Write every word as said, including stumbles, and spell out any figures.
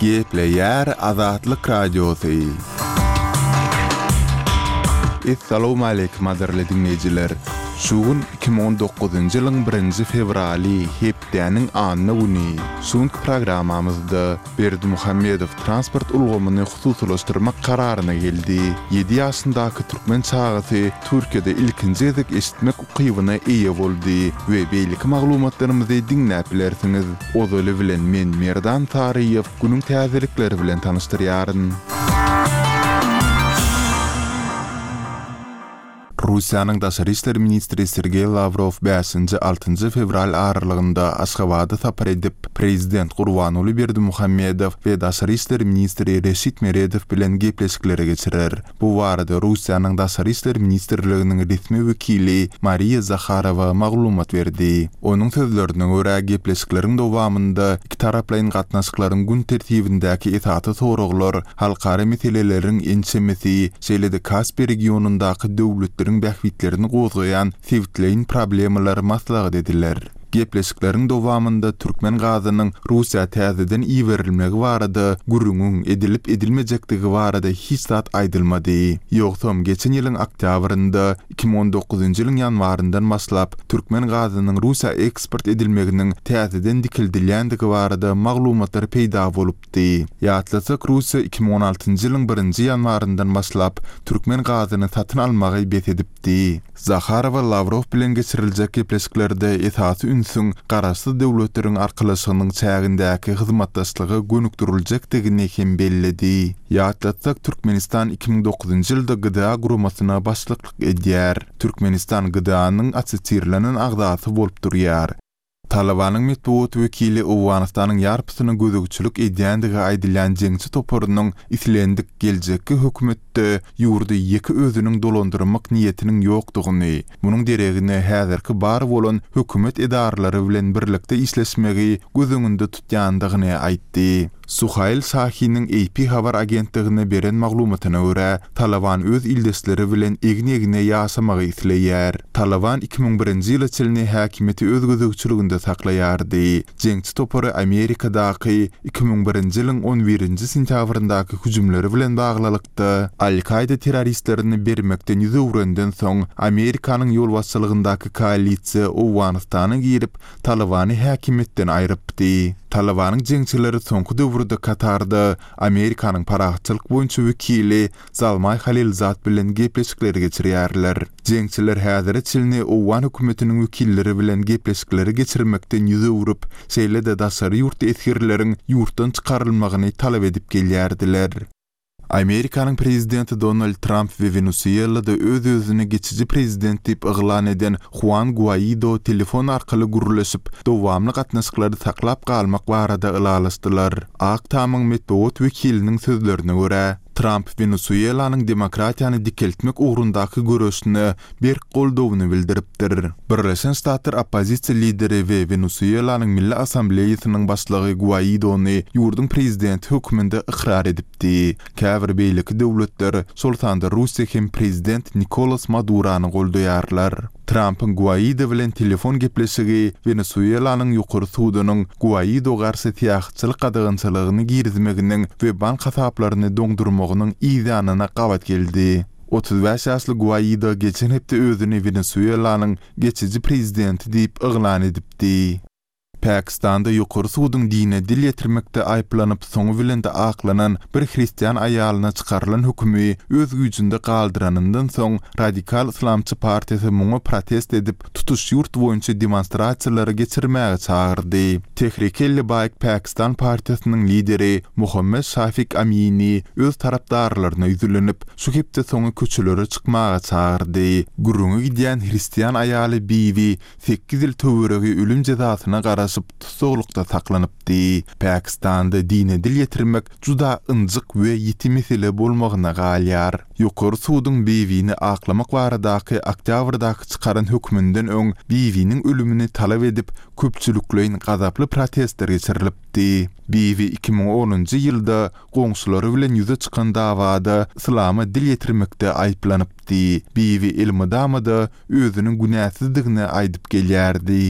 Gepleýär Azatlyk Radiosy. Essalawmaleýkim gadyrly diňleýjiler! Şu gün iki müň on dokuzynjy ýylyň birinji fewraly, hepdäniň anna güni. Şu günki programmamyzda Berdimuhamedow transport ulgamyny hususylaşdyrmak kararyna geldi. Ýedi ýaşyndaky türkmen çagasy Türkiýede ilkinji gezek eşitmek ukybyna eýe boldy we beýleki maglumatlarymyzy diňläp bilersiňiz. Ozaly bilen men Merdan Saryýew günüň täzelikleri bilen tanyşdyrýaryn. Russiýanyň daşary işler ministri Sergeý Lawrow bäşinji, altynjy fewral aralygynda Aşgabada sapar edip, prezident Gurbanguly Berdimuhamedow we daşary işler ministri Reşit Meredow bilen gepleşikleri geçirer. Bu barada Russiýanyň Daşary işler ministrliginiň resmi wekili Mariýa Zaharowa maglumat berdi. Onuň sözlerine görä, gepleşikleriň dowamynda ikitaraplaýyn gatnaşyklaryň gün tertibindäki esasy soraglar, halkara meseleleriň ençemesi, şeýle-de Kaspi regionyndaky döwletleriň bähbitlerini gozgaýan sebitleýin problemalar maslahat ediler. Gepleşikleriň dowamynda türkmen gazynyň Russiýa täzeden iberilmegi barada gürrüňiň edilip-edilmejekdigi barada hiç zat aýdylmady. Ýogsam, geçen ýylyň oktýabrynda, iki müň on dokuzynjy ýylyň ýanwaryndan başlap, türkmen gazynyň Russiýa eksport edilmeginiň täzeden dikeldilýändigi barada maglumatlar peýda bolupdy. Ýatlasak, Russiýa iki müň on altynjy ýylyň birinji ýanwaryndan başlap, türkmen gazyny satyn almagy bes edipdi. Zaharowa Lawrow bilen geçiriljek gepleşiklerde esasy ünsüň Garaşsyz Döwletleriň Arkalaşygynyň çägindäki hyzmatdaşlyga gönükdiriljekdigini hem belledi. Ýatlatsak, Türkmenistan iki müň dokuzynjy ýylda G D A guramasyna başlyklyk edýär. Türkmenistan G D A-nyň assosirlenen agzasy bolup durýar. Talabanyň metbugat wekili Owganystanyň ýarpysyna gözegçilik edýändigi aýdylýan jeňçi toparynyň islendik geljekki hökümetde ýurdy ýeke özüniň dolandyrmak niýetiniň ýokdugyny, munuň deregine häzirki bar bolan hökümet edaralary bilen birlikde işleşmegi göz öňünde tutýandygyny aýtdy. Suhail Şahiniň A P habar agentligine beren maglumatyna görä, Taliban öz ildeşleri bilen egin-egne ýaşamagy isleýär. Taliban iki müň birinji ýyla çenli häkimiýeti öz gözegçiliginde saklaýardy. Jeňçi topary Amerikadaky iki müň birinji ýylyň on birinji sentýabryndaky hüjümleri bilen baglylykda Al-Kaida terroristlerini bermekden ýüz öwrenden soň Amerikanyň ýolbaşçylygyndaky koalisiýa Owganystana girip, Talibany häkimiýetden aýrypdy. Talibanyň jeňçileri soňky döwürde Katarda Amerikanyň parahatçylyk boýunça wekili Zalmay Halilzad bilen gepleşikleri geçirýärler. Jeňçiler häzire çenli Owgan hökümetiniň wekilleri bilen gepleşikleri geçirmekden ýüz öwrüp, şeýle-de daşary ýurt esgerleriň ýurtdan çykarylmagyny talap edip gelýärdiler. Amerikanyň prezidenti Donald Tramp we Wenesuelada öz-özüni geçici prezident diýip yglan eden Juan Guaido telefon arkaly gürleşip, dowamly gatnaşyklary saklap galmak barada ylalaşdylar. Ak Tamyň metbugat wekiliniň sözlerine görä, Tramp Wenesuelanyň demokratiýany dikeltmek ugrundaky göreşine berk goldawyny bildiripdir. Birleşen Ştatlar oppozisiýa lideri we Wenesuelanyň Milli Assambleýasynyň başlygy Guaidony ýurduň prezidenti hökmünde ykrar edipdi. Käbir beýleki döwletler, şol sanda Russiýa hem prezident Nikolas Madurony goldaýarlar. Trampyň Guaido bilen telefon gepleşigi Wenesuelanyň ýokary sudunyň Guaido garşy syýahatçylyk gadagançylygyny girizmeginiň we bank hasaplaryny doňdurmagynyň yzýanyna gabat geldi. Otuz bäş ýaşly Guaido geçen hepde özüni Wenesuelanyň geçici prezidenti diýip yglan edipdi. Pakistanda ýokary suduň dine dil ýetirmekde aýyplanyp, soňy bilen de aklanan bir hristian aýalyna çykarylan hökümi öz güýjünde galdyranyndan soň Radikal Islamçy partiýasy muňa protest edip, tutuş ýurt boýunça demonstrasiýalary geçirmäge çagyrdy. Tehrik-i-Labbaik Pakistan partiýasynyň lideri Muhammed Şafik Amini öz tarapdarlaryna ýüzlenip, şu hepde soňy köçelere çykmaga çagyrdy. Gürrüňi gidýän hristian aýaly Bibi sekiz ýyl töweregi ölüm jezasyna garaşyp tussaglykda saklanypdy. Pakistanda dine dil ýetirmek juda ynjyk we ýiti mesele bolmagyna galýar. Ýokary suduň Bibini aklamak baradaky oktýabrdaky çykaran hökmünden öň Bibiniň ölümini talap edip köpçülikleýin gazaply protestler geçirilipdi. Bibi iki müň onunjy ýylda goňşulary bilen ýüze çykan dawada islama dil ýetirmekde aýyplanypdy. Bibi elmydama-da özüniň günäsizdigini aýdyp gelýärdi.